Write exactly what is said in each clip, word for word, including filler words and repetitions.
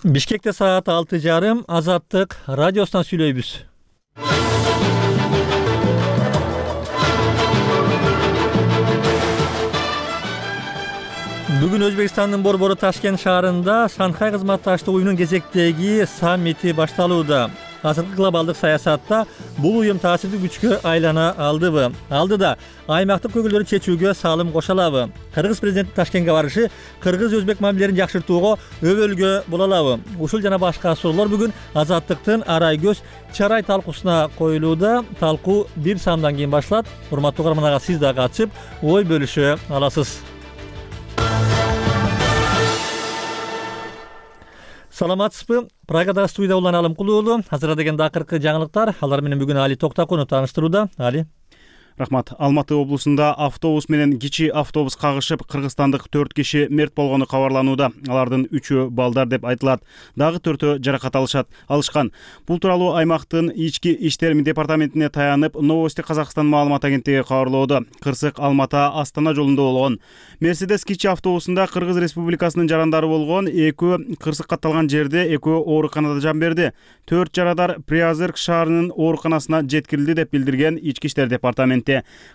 Бишкекте саат алты жарым Азаттык радиосунан сүйлөйбүз. Бүгүн Өзбекстандын борбору Ташкент шаарында Шанхай кызматташтык уюмунун кезектеги саммити башталууда. Азыркы глобалдык саясатта бул уюм таасирдүү күчкө айлана алдыбы? Алдыда аймактык көйгөйлөрдү чечүүгө салым кошо алабы? Кыргыз президенти Ташкентке барышы кыргыз-өзбек мамилелерин жакшыртууга өбөлгө боло алабы? Ушул жана башка суроолор бүгүн Азаттыктын Арай көз чарай талкуусуна коюлууда. Талкуу бир саамдан кийин башталат. Урматтуу угарманга сиз да катышып, ой бөлүшө аласыз. Саламатсызбы? Прагада студияда улан Алым Кулуулу. Азырда деген акыркы жаңылыктар. Алар менен бүгүн Али Токтакунов тааныштырууда. Али. Рахмат. Алматы облусунда автобус менен кичи автобус кагышып, кыргызстандык төрт киши мерт болгону кабарланууда. Алардын үчөө балдар деп айтылат. Дагы төртөө жаракат алышат, алышкан. Бул тууралуу аймактын ички иштер департаментине таянып, Новости Казакстан маалымат агенттиги кабарлоодо. Кырсык Алмата Астана жолунда болгон. Мерседес кичи автобусунда Кыргыз Республикасынын жарандары болгон. Экөө кырсык катталган жерде, экөө ооруканада жан берди. Төрт жарадар Приозерск шаарынын ооруканасына жеткирилди деп билдирген ички иштер департаменти.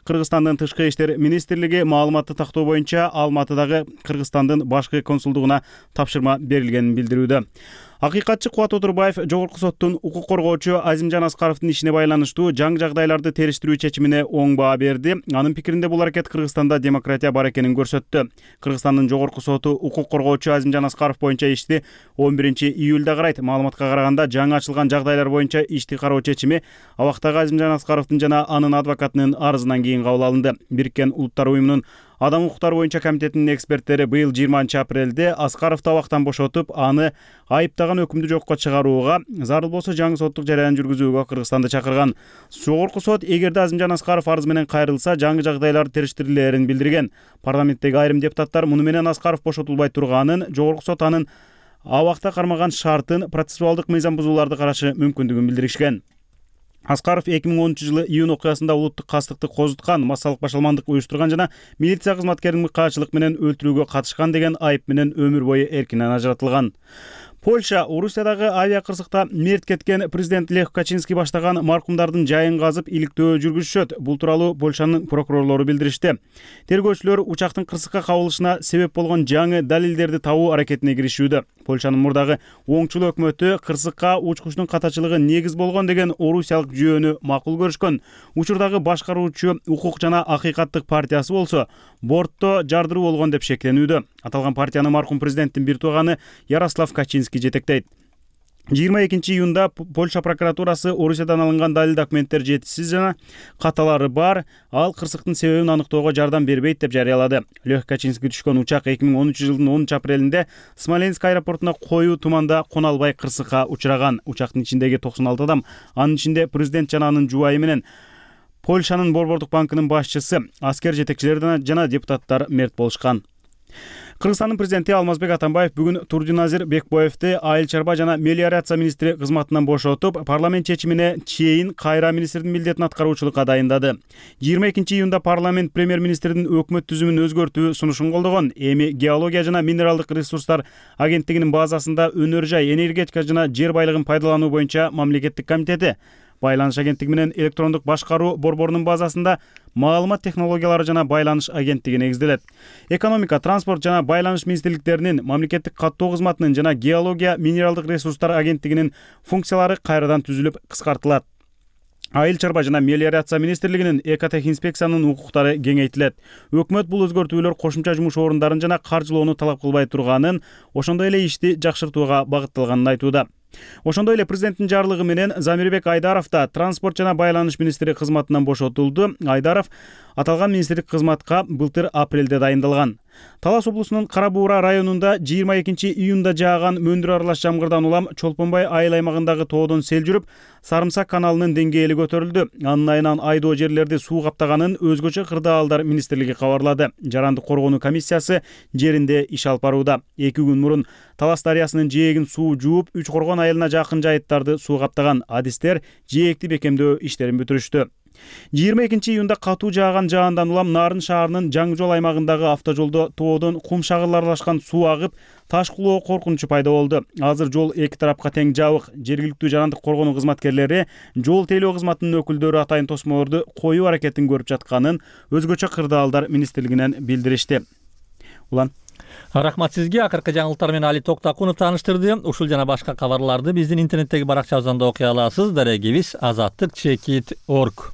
Кыргызстандын тышкы иштер министрлиги маалыматты тактоо боюнча Алматыдагы Кыргызстандын башкы консулдугуна тапшырма берилгенин билдирүүдө. Акыйкатчы Кубат Отурбаев Жогорку соттун укук коргоочу Азимжан Аскаровдун ишине байланыштуу жаңы жагдайларды териштирүү чечимине оң баа берди. Анын пикиринде бул аракет Кыргызстанда демократия бар экенин көрсөттү. Кыргызстандын Жогорку соту укук коргоочу Азимжан Аскаров боюнча ишти он биринчи июлда карайт. Маалыматка караганда жаңы ачылган жагдайлар боюнча ишти кароо чечими абактагы Азимжан Аскаровдун жана анын адвокатынын арызынан кийин кабыл алынды. Бириккен Улуттар уюмунун Адам укуктары боюнча комитетинин эксперттери быйыл жыйырманчы апрелде Аскаровду абактан бошотуп, аны айыптаган өкүмдү жокко чыгарууга, зарыл болсо жаңы соттук жараян жүргүзүүгө Кыргызстанды чакырган. Жогорку сот эгерде Азимжан Аскаров арыз менен кайрылса, жаңы жагдайлар териштирилерин билдирген. Парламенттеги айрым депутаттар муну менен Аскаров бошотулбай турганын, Жогорку сот анын абакта кармаган шартын процессуалдык мыйзам бузууларды карашы мүмкүндүгүн билдиришкен. Аскаров эки миң онунчу жылы июнь окуясында улуттук кастыкты козуткан, массалык башаламандык уюштурган жана милиция кызматкерин мыкаачылык менен өлтүрүүгө катышкан деген айып менен өмүр бою эркинен ажыратылган. Польша Орусиядагы авиакырсыкта мерт кеткен президент Лех Качинский баштаган маркумдардын жайын казып иликтөө жүргүзүшөт. Бул тууралуу Польшанын прокурорлору билдиришти. Тергөөчүлөр учактын кырсыкка кабылышына себеп болгон жаңы далилдерди табуу аракетине киришүүдө. Польшанын мурдагы оңчул өкмөтү кырсыкка учкучтун катачылыгы негиз болгон деген орусиялык жүйөнү макул көрүшкөн. Учурдагы башкаруучу Укук жана Акыйкаттык партиясы болсо бортто жардыруу болгон деп шектенүүдө. Аталган партияны маркум президенттин бир тууганы Ярослав Качинский жетектейт. жыйырма экинчи июнда Польша прокуратурасы Орусиядан алынган далил документтер жетишсиз жана каталары бар, ал кырсыктын себебин аныктоого жардам бербейт деп жарыялады. Лех Качинский түшкөн учак эки миң онунчу жылдын онунчу апрелинде Смоленск аэропортуна коюу туманда кона албай кырсыкка учураган. Учактын ичиндеги токсон алты адам, анын ичинде президент жана анын жубайы менен Польшанын борбордук банкынын башчысы, аскер жетекчилери жана депутаттар мерт болушкан. Кыргызстандын президенти Алмазбек Атамбаев бүгүн Турдиназир Бекбоевди айыл чарба жана мелиорация министри кызматынан бошотуп, парламент чечимине чейин кайра министрдин милдетин аткаруучулукка дайындады. жыйырма экинчи июнда парламент премьер-министрдин өкмөт түзүмүн өзгөртүү сунушун колдогон. Эми геология жана минералдык ресурстар агенттигинин базасында өнөр жай, энергетика жана жер байлыгын пайдалануу боюнча мамлекеттик комитети, байланыш агенттиги менен электрондук башкаруу борборунун базасында маалымат технологиялары жана байланыш агенттиги негизделет. Экономика, транспорт жана байланыш министрликтеринин, мамлекеттик каттоо кызматынын жана геология, минералдык ресурстар агенттигинин функциялары кайрадан түзүлүп, кыскартылат. Айыл чарба жана мелиорация министрлигинин экотехинспекциянын укуктары кеңейтилет. Өкмөт бул өзгөртүүлөр кошумча жумуш орундарын жана каржылоону талап кылбай турганын, ошондой эле ишти жакшыртууга багытталганын айтууда. Ошондой эле президенттин жарлыгы менен Замирбек Айдаров да транспорт жана байланыш министри кызматынан бошотулду. Айдаров аталган министрлик кызматка былтыр апрелде дайындалган. Талас облусунун Кара Буура районунда жыйырма экинчи июнда жааган мөндүр аралаш жамгырдан улам Чолпонбай айыл аймагындагы тоодон сел жүрүп, Сарымсак каналынын деңгээли көтөрүлдү. Анын айынан айдоо жерлерди суу каптаганын өзгөчө кырдаалдар министрлиги кабарлады. Жарандык коргонуу комиссиясы жеринде иш алып барууда. эки күн мурун Талас дарыясынын жээгин суу жууп, Үч Коргон айылына жакын жайыттарды суу каптаган. Адистер жээкти бекемдөө иштерин бүтүрүштү. жыйырма экинчи июнда катуу жааган жаандан улам Нарын шаарынын Жаңы жол аймагындагы автожолдо тоодон кум шагырлар аралашкан суу агып, таш кулоо коркунучу пайда болду. Азыр жол эки тарапка тең жабык. Жергиликтүү жарандык коргонуу кызматкерлери жол тейлөө кызматынын өкүлдөрү атайын тосмолорду коюу аракетин көрүп жатканын өзгөчө кырдаалдар министрлигинен билдиришти. Улан Рахмат сизге. Акыркы жаңылыктар менен Али Токтакунов тааныштырды. Ушул жана башка кабарларды биздин интернеттеги баракчабыздан окуй аласыз. Дарегибиз азаттык чекит точка орг.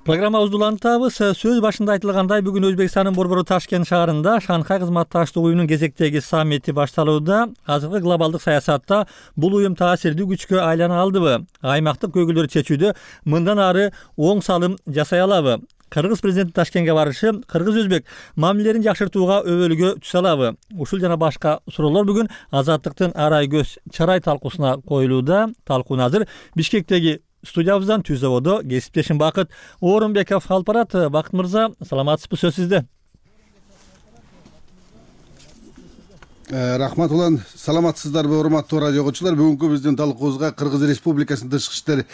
Программабызды улантабыз. Сөз башында айтылгандай, бүгүн Өзбекстандын борбору Ташкент шаарында Шанхай кызматташтык уюмунун кезектеги саммити башталууда. Азыркы глобалдык саясатта бул уюм таасирдүү күчкө айлана алдыбы? Аймактык көйгөйлөрдү чечүүдө мындан ары оң салым жасай алабы? Кыргыз президенти Ташкентке барышы кыргыз-өзбек мамилелерин жакшыртууга өбөлгө түшө алабы? Ушул жана башка суроолор бүгүн Азаттыктын арай көз чарай талкуусуна коюлууда. Талкууну азыр Бишкектеги студиябыздан Түз заводу кесиптешим Бакыт Орунбеков алып барат. Бакыт мырза, саламатсызбы, сөз сизде. Рахмат улан, саламатсыздарбы урматтуу радио угуучулар. Бүгүнкү биздин талкуубузга Кыргыз Республикасынын тышкы иштер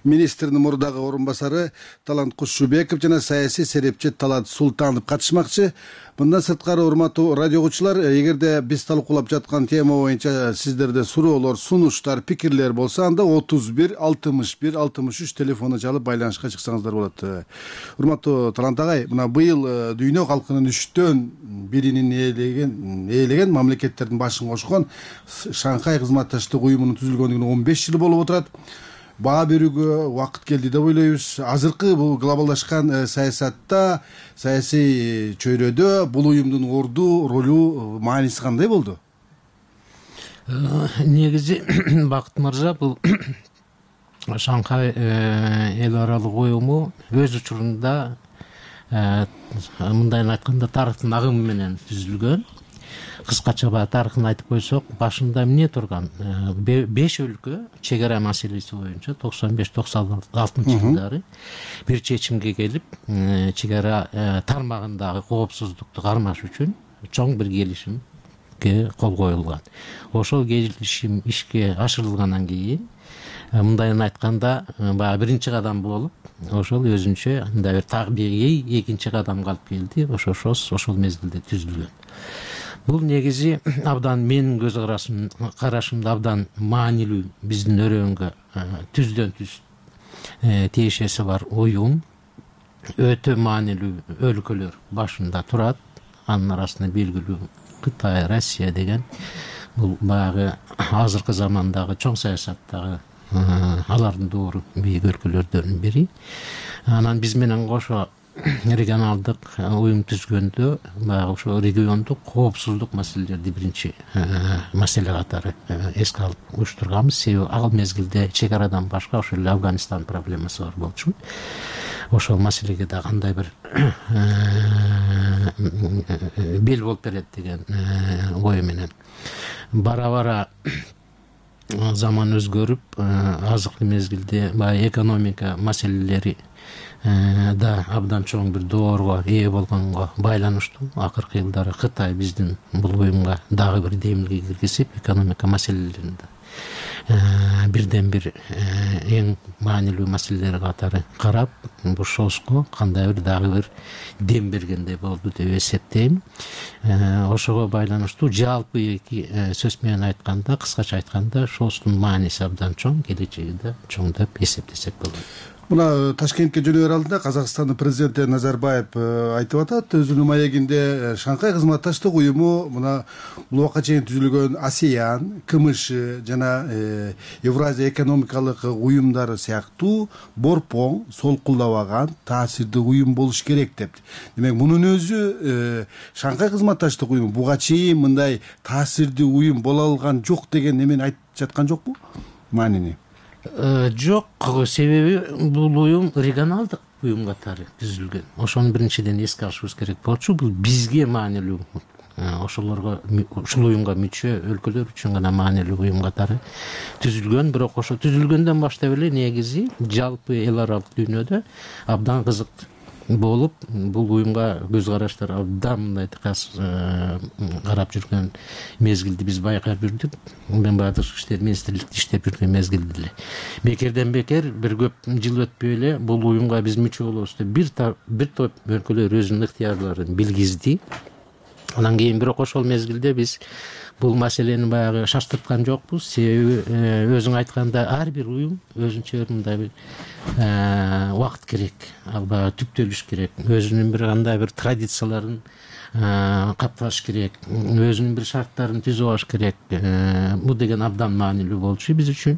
министринин мурдагы орун басары Талант Кушубеков жана саясий серепчи Талант Султанов катышмакчы. Мындан сырткары урматтуу радио угуучулар, эгерде биз талкуулап жаткан тема боюнча сиздерде суроолор, сунуштар, пикирлер болсо, анда отуз бир алтымыш бир алтымыш үч телефону чалып байланышка чыксаңыздар болот. Урматтуу Талант агай, мына быйыл дүйнө калкынын үчтөн биринин ээлеген ээлеген мамлекеттердин башын кошкон Шанхай кызматташтык уюмунун түзүлгөнүнө он беш жыл болуп отурат. Баа берүүгө убакыт келди деп ойлойбуз. Азыркы бул глобалдашкан саясатта, саясий чөйрөдө бул уюмдун орду, ролу, мааниси кандай болду? Негизи Бакыт мырза, бул Шанхай эл аралык уюму өз учурунда мындайын айтканда тарыхтын агымы менен түзүлгөн. Кыскача баягы тарыхын айтып койсок, башында эмне турган? беш өлкө чек ара маселеси боюнча токсон беш токсон алтынчы жылдары бир чечимге келип, чек ара тармагындагы коопсуздукту кармаш үчүн чоң бир келишимге кол коюлган. Ошол келишим ишке ашырылгандан кийин, мындайын айтканда, баягы биринчи кадам болуп, ошол өзүнчө мындай бир табигый экинчи кадамга алып келди. Ошо ошол мезгилде түзүлгөн. Бул негизи абдан менин көз карашымда абдан маанилүү, биздин өрөөнгө түздөн түз тиешеси бар уюм. Өтө маанилүү өлкөлөр башында турат. Анын арасында белгилүү Кытай, Россия деген бул баягы азыркы замандагы чоң саясаттагы алардын доору бийик өлкөлөрдөн бири. Анан биз менен кошо регионалдык уюм түзгөндө баягы ошо региондук коопсуздук маселелерди биринчи маселе катары эске алып уюштурганбыз. Себеби ал мезгилде чек арадан башка ошол эле Афганистан проблемасы бар болчу. Ошол маселеге да кандай бир бел болуп берет деген ой менен бара-бара заман өзгөрүп, азыркы мезгилде баягы экономика маселелери да абдан чоң бир доорго ээ болгонго байланыштуу. Акыркы жылдары Кытай биздин бул уюмга дагы бир демилге киргизип, экономика маселелеринде бирден бир эң маанилүү маселелер катары карап, бул шоско кандай бир дагы бир дем бергендей болду деп эсептейм. Ошого байланыштуу жалпы эки сөз менен айтканда, кыскача айтканда, шостун мааниси абдан чоң, келечеги да чоң деп эсептесек болот. Мына Ташкентке жөнөөр алдында Казакстандын президенти Назарбаев айтып атат, өзүнүн маегинде Шанхай кызматташтык уюму мына бул убакка чейин түзүлгөн АСЕАН, КМШ жана Евразия экономикалык уюмдары сыяктуу борпоң, солкулдабаган, таасирдүү уюм болуш керек деп. Демек, мунун өзү Шанхай кызматташтык уюму буга чейин мындай таасирдүү уюм боло алган жок деген эмени айтып жаткан жокпу? Маанини? Жок, себеби бул уюм регионалдык уюм катары түзүлгөн. Ошону биринчиден эске алышыбыз керек болчу. Бул бизге маанилүү, ошолорго, ушул уюмга мүчө өлкөлөр үчүн гана маанилүү уюм катары түзүлгөн. Бирок ошо түзүлгөндөн баштап эле негизи жалпы эл аралык дүйнөдө абдан кызык болуп бул уюмга көз караштар абдан мындай тыкас карап жүргөн мезгилди биз байкап жүрдүк. Мен баягы тышкы иштер министрликте иштеп жүргөн мезгилде эле бекерден бекер бир көп жыл өтпөй эле бул уюмга биз мүчө болобуз деп бир бир топ өлкөлөр өзүнүн ыктыярларын билгизди. Анан кийин бирок ошол мезгилде биз бул маселени баягы шаштырткан жокпуз. Себеби өзүң айткандай ар бир уюм өзүнчө мындай бир убакыт керек, ал баягы түптөлүш керек, өзүнүн бир кандай бир традицияларын капташ керек, өзүнүн бир шарттарын түзүп алыш керек. Бул деген абдан маанилүү болчу биз үчүн.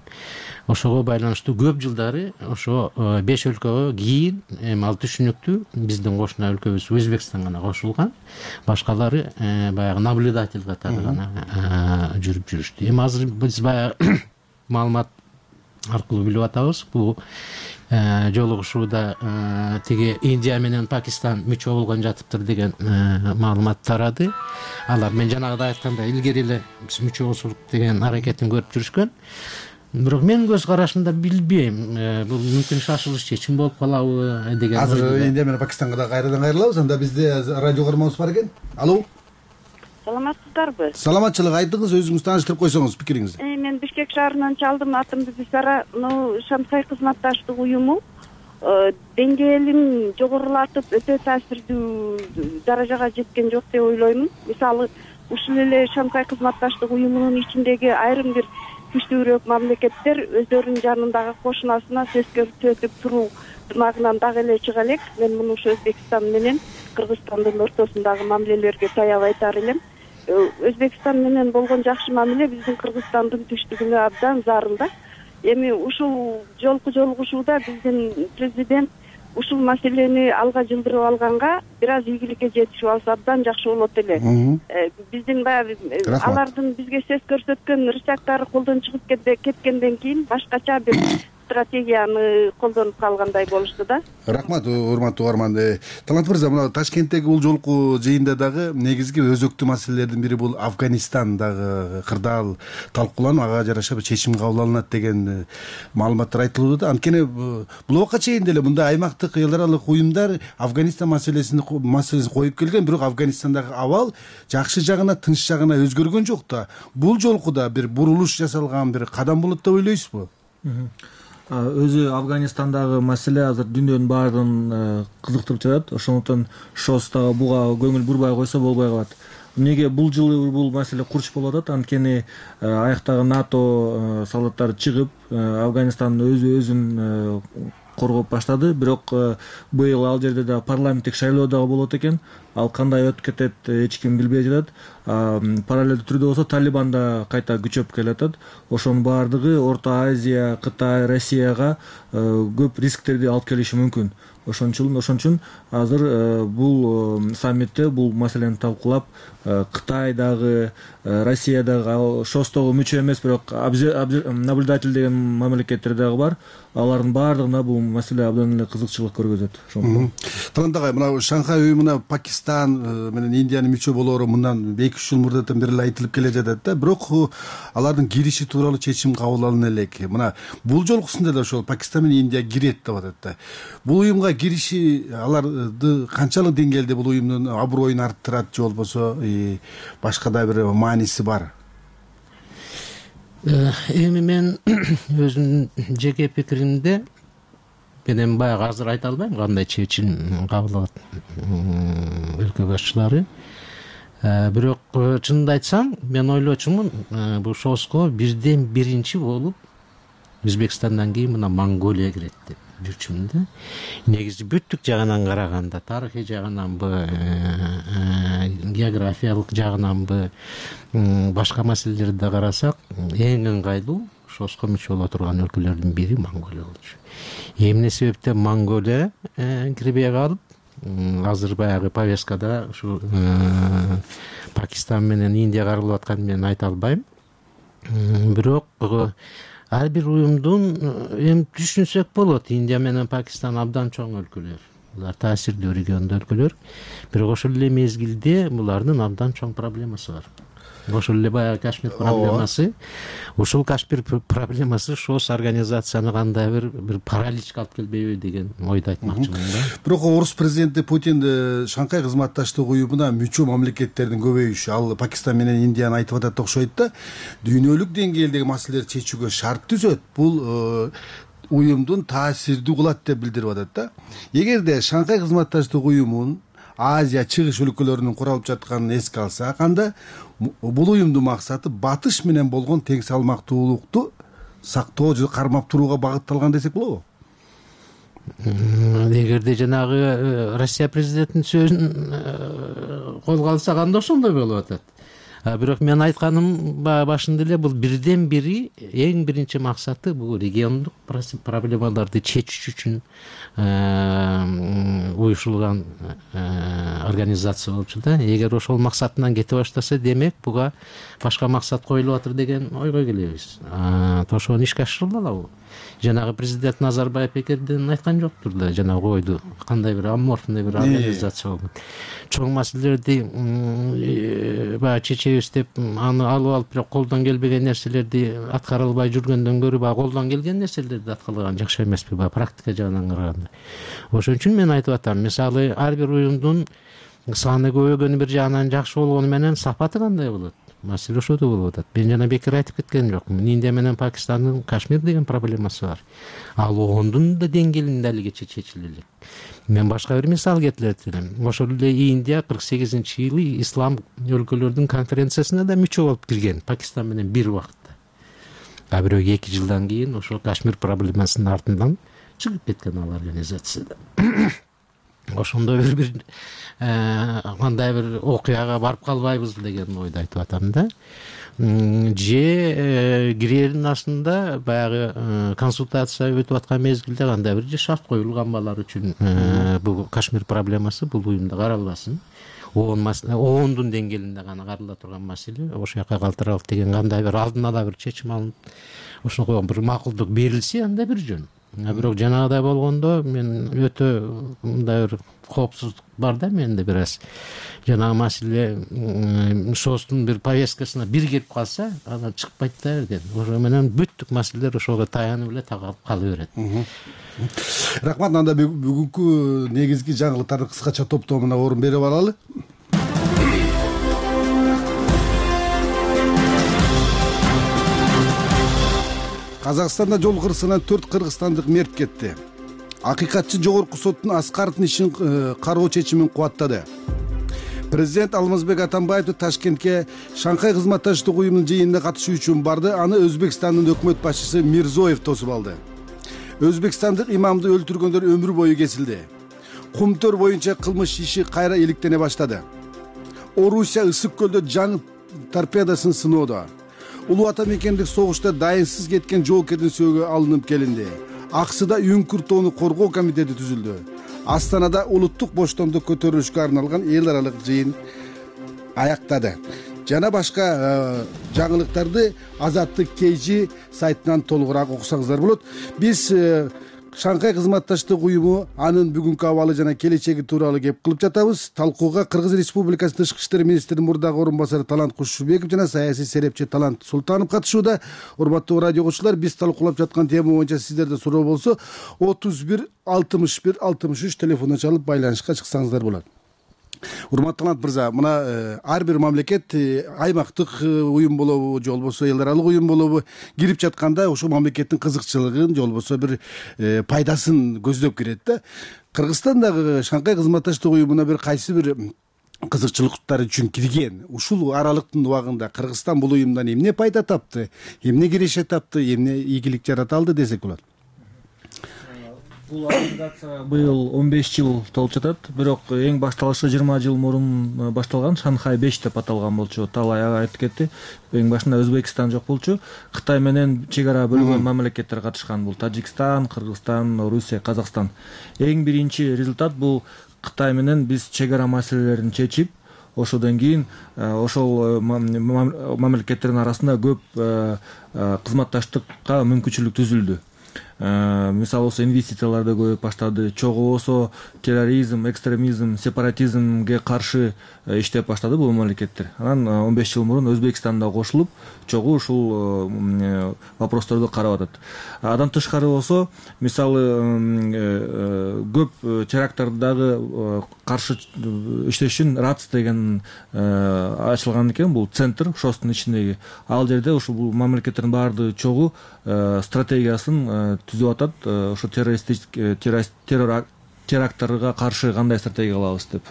Ошого байланыштуу көп жылдары ошо беш өлкөгө кийин эми ал түшүнүктүү биздин кошуна өлкөбүз Өзбекстан гана кошулган. Башкалары баягы наблюдатель катары гана жүрүп жүрүштү. Эми азыр биз баягы маалымат аркылуу билип атабыз. Бул жолугушууда тиги Индия менен Пакистан мүчө болгон жатыптыр деген маалымат тарады. Алар мен жанагыда айткандай илгери эле биз мүчө болсок деген аракетин көрүп жүрүшкөн. Бирок менин көз карашымда билбейм, бул мүмкүн шашылыш чечим болуп калабы деген. Азыр Индия менен Пакистанга да кайрадан кайрылабыз. Анда бизде радио көрмөбүз бар экен. Алло. Саламатсыздарбы? Саламатчылык, айтыңыз, өзүңүз тааныштырып койсоңуз пикириңизди. Мен Бишкек шаарынан чалдым, атым Бибисара. Шанхай кызматташтык уюму деңгээлин жогорулатып өтө таасирдүү даражага жеткен жок деп ойлоймун. Мисалы, ушул эле Шанхай кызматташтык уюмунун ичиндеги айрым бир күчтүүрөөк мамлекеттер өздөрүнүн жанындагы кошунасына сөз көрсөтүп туруу ынагынан дагы эле чыга элек. Мен муну ушу Өзбекстан менен Кыргызстандын ортосундагы мамилелерге таяп айтар элем. Өзбекстан менен болгон жакшы мамиле биздин Кыргызстандын түштүгүнө абдан зарыл да. Эми ушул жолку жолугушууда биздин президент ушул маселени алга жылдырып алганга бир аз ийгиликке жетишип алса абдан жакшы болот эле. Биздин баягы алардын бизге сөз көрсөткөн рычагдары колдон чыгып кеткенден кийин башкача бир стратегияны колдонуп калгандай болушту да. Рахмат, урматтуу угарман. Талант мырза, мына Ташкенттеги бул жолку жыйында дагы негизги өзөктүү маселелердин бири бул Афганистан дагы кырдаал талкууланып, ага жараша бир чечим кабыл алынат деген маалыматтар айтылууда да. Анткени бул убакка чейин деле мындай аймактык эл аралык уюмдар Афганистан маселесин маселесин коюп келген, бирок Афганистандагы абал жакшы жагына, тынч жагына өзгөргөн жок да. Бул жолку да бир бурулуш жасалган бир кадам болот деп ойлойсузбу? Өзү Афганистандагы маселе азыр дүйнөнүн баардыгын кызыктырып жатат. Ошондуктан ШОСтагы буга көңүл бурбай койсо болбой калат. Эмнеге бул жылы бул маселе курч болуп атат? Анткени аяктагы НАТО солдаттары чыгып, Афганистан өзү өзүн коргоп баштады. Бирок быйыл ал жерде да парламенттик шайлоо дагы болот экен. Ал кандай өтүп кетет, эч ким билбей жатат. Параллелдүү түрдө болсо Талибан да кайта күчөп келатат. Ошонун баардыгы Орто Азия, Кытай, Россияга көп рисктерди алып келиши мүмкүн. Ошон үчүн ошон үчүн азыр бул саммитте бул маселени талкуулап, Кытай дагы, Россия дагы ШОСтогу мүчө эмес, бирок наблюдатель деген мамлекеттер дагы бар. Алардын баардыгына бул маселе абдан эле кызыкчылык көргөзөт. Талант агай, мына Шанхай уюмуна Пакистан менен Индиянын мүчө болоору мындан эки үч жыл мурдатан бери эле айтылып келе жатат да. Бирок алардын кириши тууралуу чечим кабыл алына элек. Мына бул жолкусунда да ошол Пакистан менен Индия кирет деп атат да. Бул уюмга кириши аларды канчалык деңгээлде бул уюмдун аброюн арттырат же болбосо башка да бир мааниси бар? Эми мен өзүмдүн жеке пикиримде мен баягы азыр айта албайм кандай чечим кабыл алат өлкө башчылары. Бирок чынымды айтсам, мен ойлочумун, бул ШОСко бирден биринчи болуп Өзбекстандан кийин мына Монголия кирет деп жүрчүмүн да. Негизи бүттүк жагынан караганда, тарыхый жагынанбы, географиялык жагынанбы, башка маселелерди да карасак, эң ыңгайлуу ШОСко мүчө боло турган өлкөлөрдүн бири Монголия болчу. Эмне себептен Монголия кирбей калып, азыр баягы повесткада ушу Пакистан менен Индия каралып атканын мен айта албайм. Бирок ар бир уюмдун эми түшүнсөк болот, Индия менен Пакистан абдан чоң өлкөлөр. Булар таасирдүү региондо өлкөлөр. Бирок ошол эле мезгилде булардын абдан чоң проблемасы бар. ошол эле баягы Кашмир проблемасы. Ушул Кашмир проблемасы шос организацияны кандай бир бир параличке алып келбейби деген ойду айтмакчымын да. Бирок орус президенти Путин Шанхай кызматташтык уюмуна мүчө мамлекеттердин көбөйүшү, ал Пакистан менен Индияны айтып атат окшойт да, дүйнөлүк деңгээлдеги маселелерди чечүүгө шарт түзөт. Бул уюмдун таасирдүү кылат деп билдирип атат да. Эгерде Шанхай кызматташтык уюмун Азия чыгыш өлкөлөрүнүн куралып жатканын эске алсак, анда бул уюмдун максаты батыш менен болгон тең салмактуулукту сактоо же кармап турууга багытталган десек болобу? Эгерде жанагы Россия президентинин сөзүн колго алсак, анда ошондой болуп атат. Бирок мен айтканым башында эле, бул бирден бири эң биринчи максаты бул региондук проблемаларды чечүү үчүн уюшулган организация болчу да. Эгер ошол максатынан кете баштаса, демек буга башка максат коюлуп атыр деген ойго келебиз. Ошону ишке ашырыла алабы? Жанагы президент Назарбаев бекерден айткан жоктур да, жанагы ойду кандай бир аморфный бир организация болуп. Чоң маселелерди баягы чечебиз деп аны алып алып, бирок колдон келбеген нерселерди аткара албай жүргөндөн көрө баягы колдон келген нерселерди аткарган жакшы эмеспи, баягы практика жагынан караганда. Ошон үчүн мен айтып атам, мисалы ар бир уюмдун саны көбөйгөнү бир жагынан жакшы болгону менен сапаты кандай болот? Маселе ошодо болуп атат. Мен жана бекер айтып кеткен жокмун. Индия менен Пакистандын Кашмир деген проблемасы бар. Ал ондун да деңгээлинде алигече чечиле элек. Мен башка бир мисал келтирет элем. Ошол эле Индия кырк сегизинчи жылы ислам өлкөлөрдүн конференциясына да мүчө болуп кирген, Пакистан менен бир убакытта. А бирок эки жылдан кийин ошол Кашмир проблемасынын артынан чыгып кеткен ал организацияда. Ошондой бир бир кандай бир окуяга барып калбайбыз деген ойду айтып атам да. Же кирердин астында баягы консультация өтүп аткан мезгилде кандай бир же шарт коюлган балар үчүн бул Кашмир проблемасы бул уюмда каралбасын. Ондун деңгээлинде гана карала турган маселе, ошол жака калтыралык деген кандай бир алдын ала бир чечим алынып, ошого бир макулдук берилсе, анда бир жөн. Бирок жанагыдай болгондо мен өтө мындай бир коопсуздук бар да менде бир аз. Жанагы маселе шостун бир повесткасына бир кирип калса, анан чыкпайт да эрден. Ошо менен бүттүк маселелер ошого таянып эле тагалып кала берет. Рахмат. Анда бүгүнкү негизги жаңылыктарды кыскача топтомуна орун берип алалы. Казакстанда жол кырсыгынан төрт кыргызстандык мерт кетти. Акыйкатчы жогорку соттун Аскаровдун ишин кароо чечимин кубаттады. Президент Алмазбек Атамбаев Ташкентке Шанхай кызматташтык уюмунун жыйынына катышуу үчүн барды. Аны Өзбекстандын өкмөт башчысы Мирзоев тосуп алды. Өзбекстандык имамды өлтүргөндөр өмүр бою кесилди. Кумтөр боюнча кылмыш иши кайра иликтене баштады. Орусия ысык көлдө жаңы торпедасын сыноодо. Улуу ата мекендик согушта дайынсыз кеткен жоокердин сөөгү алынып келинди. Аксыда Үңкүр тоону коргоо комитети түзүлдү. Астанада улуттук боштондук көтөрүлүшкө арналган эл аралык жыйын аяктады. Жана башка жаңылыктарды Азаттык Кейжи сайтынан толугураак окусаңыздар болот. Биз Шанхай кызматташтык уюму, анын бүгүнкү абалы жана келечеги тууралуу кеп кылып жатабыз. Талкууга Кыргыз Республикасынын Тышкы иштер министринин мурдагы орун басары Талант Кушубеков жана саясий серепчи Талант Султанов катышууда. Урматтуу радио окуучулар, биз талкуулап жаткан тема боюнча сиздерде суроо болсо, отуз бир алтымыш бир алтымыш үч телефондон чалып байланышка чыксаңыздар болот. Урматтуу Талант мырза, мына ар бир мамлекет аймактык уюм болобу же болбосо эл аралык уюм болобу кирип жатканда ошол мамлекеттин кызыкчылыгын же болбосо бир пайдасын көздөп кирет да. Кыргызстандагы Шанхай кызматташтык уюмуна бир кайсы бир кызыкчылыктар үчүн кирген. Ушул аралыктын убагында Кыргызстан бул уюмдан эмне пайда тапты, эмне киреше тапты, эмне ийгилик жарата алды десек болот. Бул организация быйыл он беш жыл толуп жатат, бирок эң башталышы жыйырма жыл мурун башталган, Шанхай беш деп аталган болчу. Талай айтып кетти. Эң башында Өзбекстан жок болчу. Кытай менен чек ара бөлгөн мамлекеттер катышкан. Бул Тажикстан, Кыргызстан, Орусия, Казакстан. Эң биринчи результат бул Кытай менен биз чек ара маселелерин чечип, ошодон кийин ошол мамлекеттердин арасында көп кызматташтыкка мүмкүнчүлүк түзүлдү. мисалы болсо инвестициялар да көбөйүп баштады, чогуу болсо терроризм, экстремизм, сепаратизмге каршы иштеп баштады бул мамлекеттер. Анан он беш жыл мурун Өзбекстан да кошулуп чогуу ушул вопросторду карап атат. Андан тышкары болсо мисалы көп теракттардагы каршы иштеш үчүн РАЦ деген ачылган экен, бул центр шостун ичиндеги. Ал жерде ушул бул мамлекеттердин баардыгы чогуу стратегиясын түзүп атат, ошо террористтик террор теракттарга каршы кандай стратегия кылабыз деп.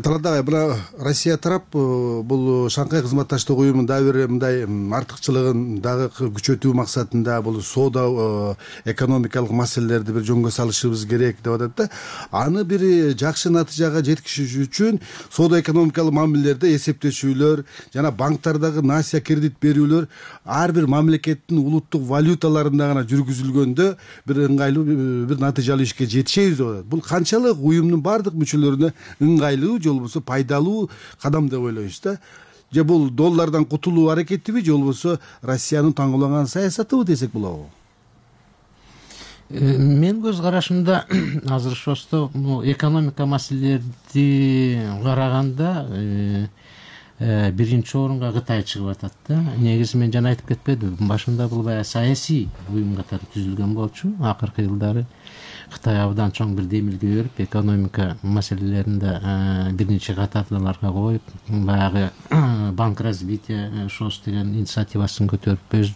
Талант агай, мына Россия тарап бул Шанхай кызматташтык уюмунун дагы бир мындай артыкчылыгын дагы күчөтүү максатында бул соода экономикалык маселелерди бир жөнгө салышыбыз керек деп атат да. Аны бир жакшы натыйжага жеткизиш үчүн соода экономикалык мамилелерде эсептешүүлөр жана банктардагы насия кредит берүүлөр ар бир мамлекеттин улуттук валюталарында гана жүргүзүлгөндө бир ыңгайлуу бир натыйжалуу ишке жетишебиз деп атат. Бул канчалык уюмдун баардык мүчөлөрүнө ыңгайлуу же болбосо пайдалуу кадам деп ойлойсуз да? Же бул доллардан кутулуу аракетиби же болбосо Россиянын таңгылаган саясатыбы десек болобу? Мен көз карашымда азыр шосто экономика маселелерди караганда биринчи орунга Кытай чыгып атат да. Негизи мен жана айтып кетпедимби, башында бул баягы саясий уюм катары түзүлгөн болчу. Акыркы жылдары Кытай абдан чоң бир демилге берип, экономика маселелеринде биринчи катардаларга коюп, баягы банк развития шос деген инициативасын көтөрүп, өз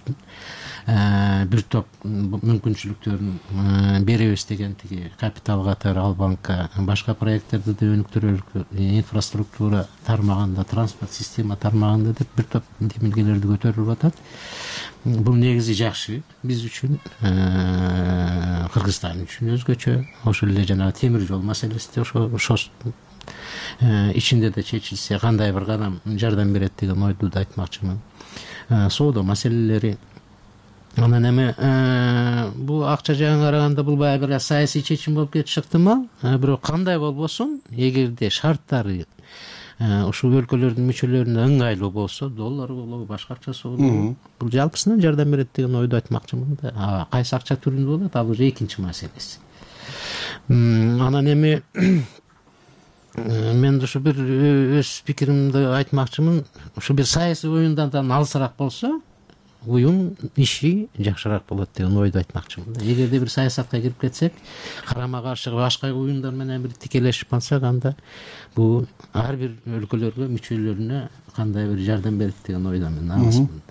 бир топ мүмкүнчүлүктөрүн беребиз деген тиги капитал катары ал банкка башка проекттерди да өнүктүрөлүк, инфраструктура тармагында, транспорт система тармагында деп бир топ демилгелерди көтөрүлүп атат. Бул негизи жакшы биз үчүн, Кыргызстан үчүн өзгөчө. Ошол эле жанагы темир жол маселеси де ошо шос ичинде да чечилсе кандай бир кадам жардам берет деген ойду да айтмакчымын. Соода маселелери анан эми бул акча жагын караганда бул баягы бир саясий чечим болуп кетиши ыктымал. Бирок кандай болбосун, эгерде шарттары ушул өлкөлөрдүн мүчөлөрүнө ыңгайлуу болсо, доллар болобу, башка акчасы болобу, бул жалпысынан жардам берет деген ойду айтмакчымын да. Кайсы акча түрүндө болот, ал уже экинчи маселеси. Анан эми мен ушу бир өз пикиримди айтмакчымын. Ушу бир саясий оюндан алысыраак болсо, уюм иши жакшыраак болот деген ойду айтмакчымын. Эгерде бир саясатка кирип кетсек, карама каршы башка уюмдар менен бир тикелешип калсак, анда бул ар бир өлкөлөргө, мүчөлөрүнө кандай бир жардам берет деген ойдо мен алысмын.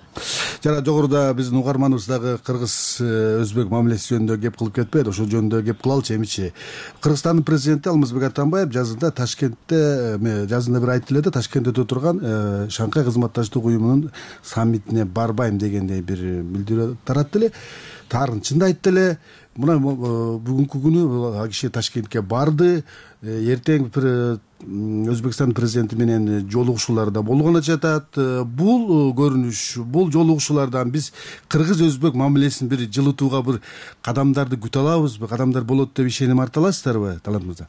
Жана жогоруда биздин угарманыбыз дагы кыргыз өзбек мамилеси жөнүндө кеп кылып кетпedi, ошол жөнүндө кеп кылалычы эмичи. Кыргызстандын президенти Алмазбек Атамбаев жазында Ташкентте жазында бир айтты эле да, Ташкентте өтө турган Шанхай кызматташтык уюмунун саммитине барбайм дегендей бир билдирүү таратты эле. Тарын чынды айтты эле. Мына бүгүнкү күнү ал киши Ташкентке барды. Эртең бир Өзбекстан президенти менен жолугушуулар да болгону жатат. Бул көрүнүш, бул жолугушуулардан биз кыргыз өзбек мамилесин бир жылытууга бир кадамдарды күтө алабызбы? Кадамдар болот деп ишеним арта аласыздарбы, Талант мырза?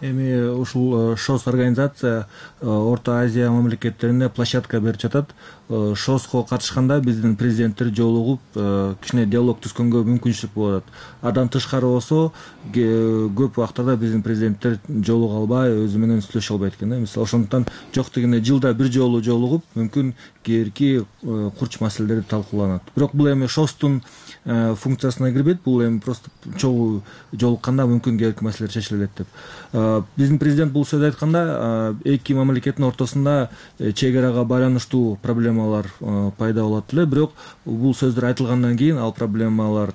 Эми ушул шос организация Орто Азия мамлекеттерине площадка берип жатат. Шоско катышканда биздин президенттер жолугуп, кичине диалог түзгөнгө мүмкүнчүлүк болот. Адан тышкары болсо, көп убактарда биздин президенттер жолуга албай, өзү менен сүйлөшө албайт экен да. Мисалы, ошондуктан жок дегенде жылда бир жолу жолугуп, мүмкүн кээинки курч маселелер талкууланат. Бирок бул эми шостун функциясына кирбейт, бул эми просто чогуу жолукканда мүмкүн кээинки маселелер чечилет деп. Биздин президент бул сөз айтканда, эки мамлекеттин ортосунда чек арага байланыштуу проблемалар пайда болот эле, бирок бул сөздөр айтылгандан кийин ал проблемалар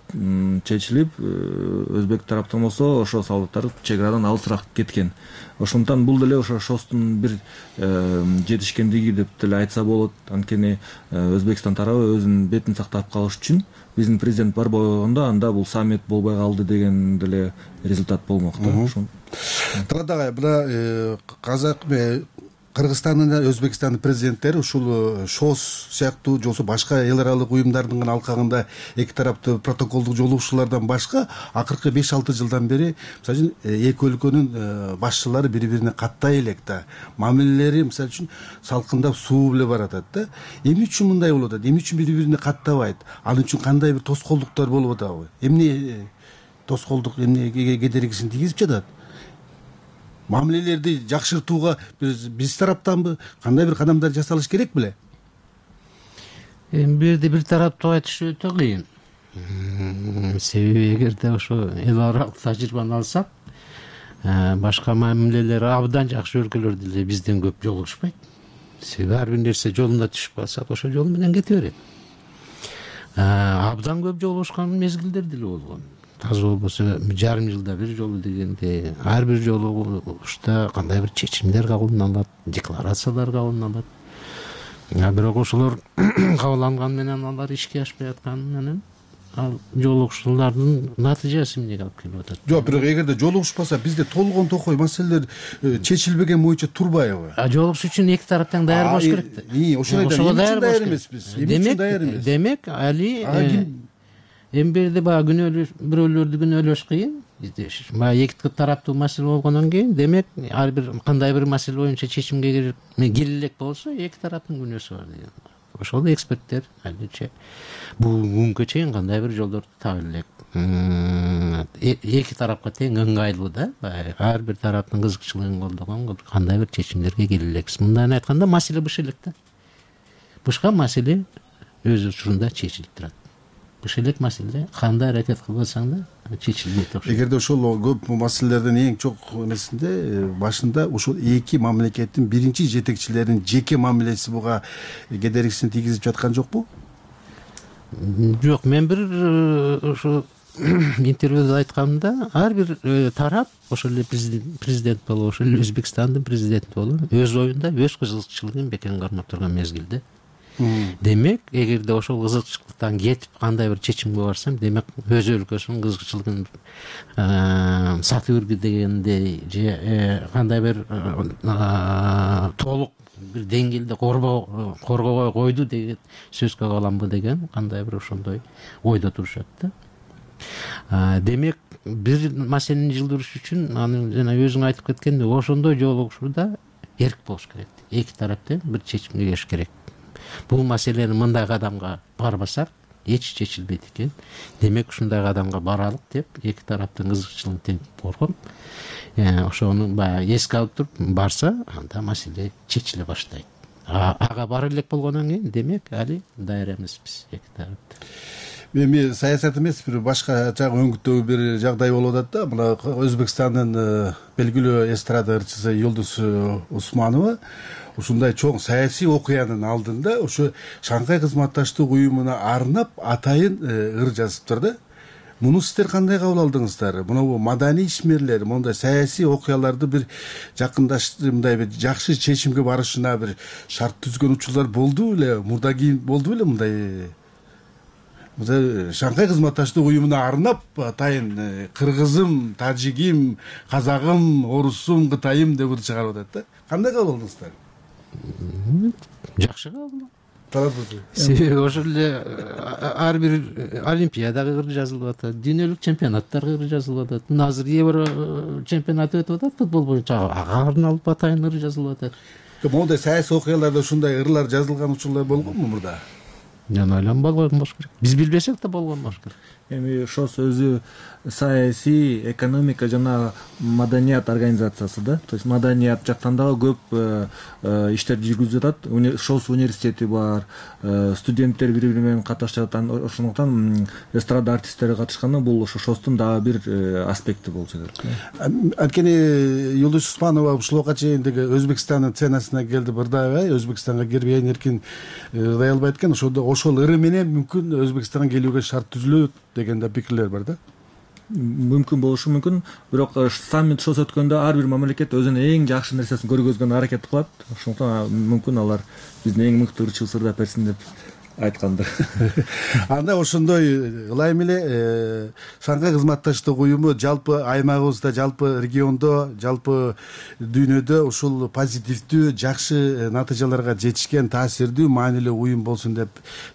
чечилип, өзбек тараптан болсо ошо солдаттар чек арадан алысыраак кеткен. Ошондуктан бул деле ошо шостун бир жетишкендиги деп деле айтса болот. Анткени Өзбекстан тарабы өзүнүн бетин сактап калыш үчүн биздин президент барбай койгондо, анда бул саммит болбой калды деген деле результат болмок да. Талант агай, мына казак Кыргызстандын жана Өзбекстандын президенттери ушул шос сыяктуу же болбосо башка эл аралык уюмдардын гана алкагында эки тараптуу протоколдук жолугушуулардан башка акыркы беш алты жылдан бери мисалы үчүн эки өлкөнүн башчылары бири бирине каттай элек да, мамилелери мисалы үчүн салкындап суу эле баратат да. Эмне үчүн мындай болуп атат? Эмне үчүн бири бирине каттабайт? Ал үчүн кандай бир тоскоолдуктар болуп атабы? Эмне тоскоолдук, эмне кедергисин тийгизип жатат? Мамилелерди жакшыртууга биз биз тараптанбы, кандай бир кадамдар жасалыш керек беле? Эми бул жерде бир тараптуу айтыш өтө кыйын. Себеби эгерде ошо эл аралык тажрыйбаны алсак, башка мамилелери абдан жакшы өлкөлөр деле бизден көп жолугушпайт. Себеби ар бир нерсе жолуна түшүп калсак, ошол жол менен кете берет. Абдан көп жолугушкан мезгилдер деле болгон. Таза болбосо жарым жылда бир жолу дегенде, ар бир жолугушта кандай бир чечимдер кабылданат, декларациялар кабылданат. Бирок ошолор кабылданган менен алар ишке ашпай атканы менен ал жолугушуулардын натыйжасы эмнеге алып келип атат? Жок, бирок эгерде жолугушпаса, бизде толгон токой маселелер чечилбеген боюнча турбайбы? Жолугушуу үчүн эки тараптан даяр болуш керек да. Ошол айта, эмне даяр эмеспиз? Эмне үчүн даяр эмес? Демек, али эми берде баягы күнөөлөш, бирөөлөрдү күнөөлөш кыйын. Баягы эки тараптуу маселе болгондон кийин, демек, ар бир кандай бир маселе боюнча чечимге келе элек болсо, эки тараптын күнөөсү бар деген. Ошол эксперттер аличе бүгүнкү чейин кандай бир жолдорду таба элек. Эки тарапка тең ыңгайлуу да, ар бир тараптын кызыкчылыгын колдогон кандай бир чечимдерге келе элекпиз. Мындан айтканда, маселе быш элек да. Бышка маселе өз учурунда чечилип турат. Быш элек маселе кандай аракет кылбасаң да чечилбейт окшойт. Эгерде ошол көп маселелердин эң чоң эмесинде башында ушул эки мамлекеттин биринчи жетекчилеринин жеке мамилеси буга кедергисин тийгизип жаткан жокпу? Жок, мен бир ошо интервьюда айтканымда, ар бир тарап, ошол эле президент болобу, ошол эле Өзбекстандын президенти болобу, өз оюнда өз кызыкчылыгын бекем кармап турган мезгилде. Демек, эгерде ошол кызыкчылыктан кетип кандай бир чечимге барсам, демек өз өлкөсүнүн кызыкчылыгын сатып үргү дегендей же кандай бир толук бир деңгээлде коргобой койду деген сөзгө каламбы деген кандай бир ошондой ойдо турушат да. Демек, бир маселени жылдырыш үчүн, аны жана өзүң айтып кеткендей, ошондой жолугушууда эрк болуш керек. Эки тараптан бир чечимге келиш керек. Бул маселени мындай кадамга барбасак эч чечилбейт экен. Демек, ушундай кадамга баралык деп эки тараптын кызыкчылыгын тең коргоп, ошону баягы эске алып туруп барса, анда маселе чечиле баштайт. Ага бара элек болгондон кийин, демек, али даяр эмеспиз эки тарап. Эми саясат эмес, бир башка жагы өңгүттөгү бир жагдай болуп атат да. Мына Өзбекстандын белгилүү эстрада ырчысы Юлдуз Усманова ушундай чоң саясий окуянын алдында ошо Шанхай кызматташтык уюмуна арнап атайын ыр жазыптыр да. Муну сиздер кандай кабыл алдыңыздар? Мына маданий ишмерлер мондай саясий окуяларды бир жакындаштырып, мындай бир жакшы чечимге барышына бир шарт түзгөн учурлар болду беле? Мурда кийин болду беле мындай? Шанхай кызматташтык уюмуна арнап атайын кыргызым, тажигим, казагым, орусум, кытайым деп ыр чыгарып атат да. Кандай кабыл алдыңыздар? Жакшы кабыл. Себеби ошол эле ар бир олимпиадага ыр жазылып атат, дүйнөлүк чемпионаттарга ыр жазылып атат. Мына азыр Евро чемпионаты өтүп атат футбол боюнча, ага арналып атайын ыр жазылып атат. Моундай саясий окуяларда ушундай ырлар жазылган учурлар болгонбу мурда? Мен ойлойм болгон болуш керек. Биз билбесек да болгон болуш керек. Эми ошол өзү саясий, экономика жана маданият организациясы да. То есть маданият жактан дагы көп иштерди жүргүзүп жатат. Шос университети бар, студенттер бири бири менен катышып жатат. Ошондуктан эстрада артисттери катышканда бул ошо шостун дагы бир аспекти болуп жатат. Анткени Юлдуз Усманова ушулга чейин деги Өзбекстандын сценасына келди, бырдабай Өзбекстанга кирбей эркин ырдай албайт экен. Ошондо ошол ыры менен мүмкүн Өзбекстанга келүүгө шарт түзүлөт деген да пикирлер бар да. Мүмкүн болушу мүмкүн, бирок саммит шос өткөндө ар бир мамлекет өзүнүн эң жакшы нерсесин көргөзгөнгө аракет кылат. Ошондуктан мүмкүн алар биздин эң мыкты ырчыбыз ырдап берсин деп айтканды. Анда ошондой ылайым эле Шанхай кызматташтык уюму жалпы аймагыбызда, жалпы региондо, жалпы дүйнөдө ушул позитивдүү, жакшы натыйжаларга жетишкен таасирдүү, маанилүү уюм болсун деп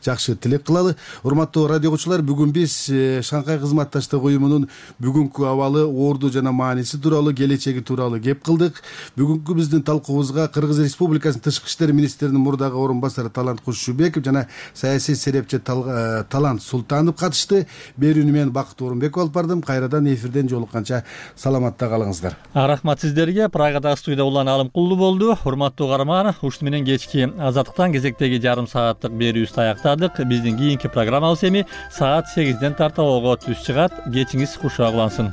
жакшы тилек кылалы. Урматтуу радио угуучулар, бүгүн биз Шанхай кызматташтык уюмунун бүгүнкү абалы, орду жана мааниси тууралуу, келечеги тууралуу кеп кылдык. Бүгүнкү биздин талкуубузга Кыргыз Республикасынын Тышкы иштер министринин мурдагы орун басары Талант Кушубеков жана саясий серепчи Талант Султанов катышты. Берүүнү мен Бакыт Орунбеков алып бардым. Кайрадан эфирден жолукканча саламатта калыңыздар. Рахмат сиздерге. Прагадагы студияда Улан Алымкулду болду. Урматтуу каарман, ушуну менен кечки Азаттыктан кезектеги жарым сааттык берүүбүздү аяктадык. Биздин кийинки программабыз эми саат сегизден тарта ого түз чыгат. Кечиңиз кушак улансын.